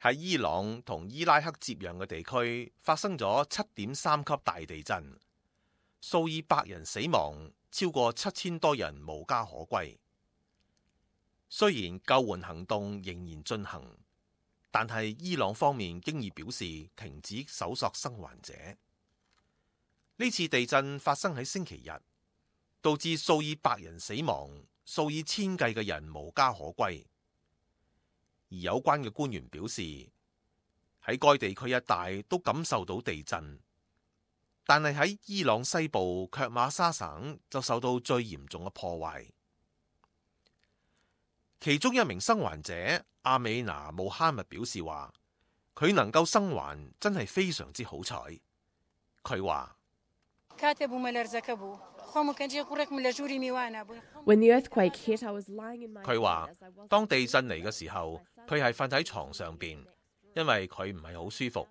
喺伊朗同伊拉克接壤嘅地區發生咗7.3級大地震，數以百人死亡，超過7000多人無家可歸。雖然救援行動仍然進行，但係伊朗方面經已表示停止搜索生還者。呢次地震發生喺星期日，導致數以百人死亡，數以千計嘅人無家可歸。而有關嘅官員表示，喺該地區一帶都感受到地震，但係喺伊朗西部卻馬沙省就受到最嚴重嘅破壞。其中一名生還者阿美拿穆哈密表示話，佢能夠生還真係非常之好彩。佢話當地震嚟嘅時候，佢係瞓喺床上邊，因為佢唔係好舒服。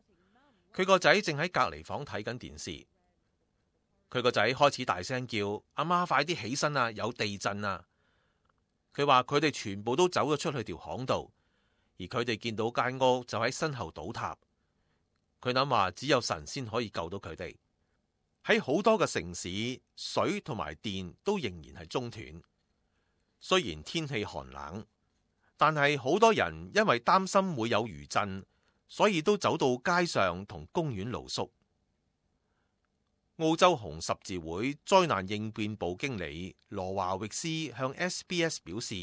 佢個仔正喺隔離房睇緊電視，佢個仔開始大聲叫：阿媽快啲起身啊，有地震啊！佢話佢哋全部都走咗出去條巷度，而佢哋見到間屋就喺身後倒塌。佢諗話只有神先可以救到佢哋。喺好多嘅城市，水同埋電都仍然係中斷。雖然天氣寒冷，但係好多人因為擔心會有餘震，所以都走到街上同公園露宿。澳洲紅十字會災難應變部經理羅華域斯向 SBS 表示，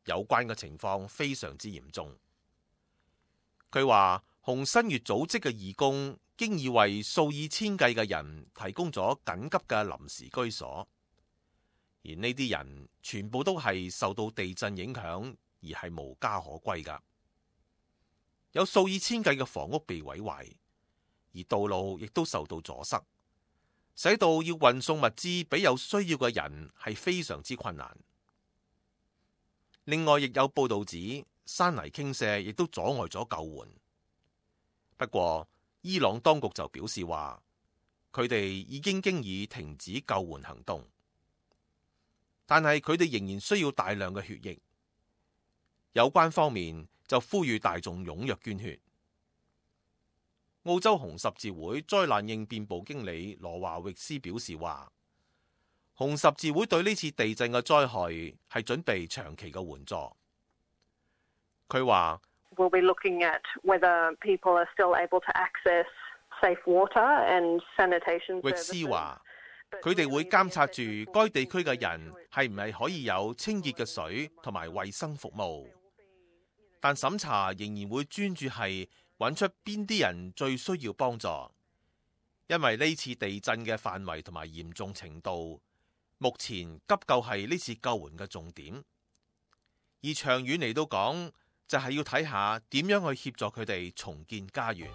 有關嘅情況非常之嚴重。佢話紅新月組織嘅義工經已為數以千計嘅人提供咗緊急嘅臨時居所，而呢啲人全部都係受到地震影響而係無家可歸㗎。有數以千計嘅房屋被毀壞，而道路亦都受到阻塞，使到要運送物資俾有需要嘅人係非常之困難。另外，亦有報道指山泥傾瀉亦都阻礙咗救援。不過，伊朗當局就表示話，佢哋已經已停止救援行動，但係佢哋仍然需要大量嘅血液。有關方面就呼籲大眾踴躍捐血。澳洲紅十字會災難應變部經理羅華域斯表示話，紅十字會對呢次地震嘅災害係準備長期嘅援助。佢話We'll be looking at whether people are still able to access safe water and sanitation services. 域斯話，佢哋會監察住該地區嘅人係唔係可以有清潔嘅水同埋衛生服務，但審查仍然會專注係揾出邊啲人最需要幫助，因為呢次地震嘅範圍同埋嚴重程度，目前急救係呢次救援嘅重點，而長遠嚟到講，就係要睇下點樣去協助佢哋重建家園。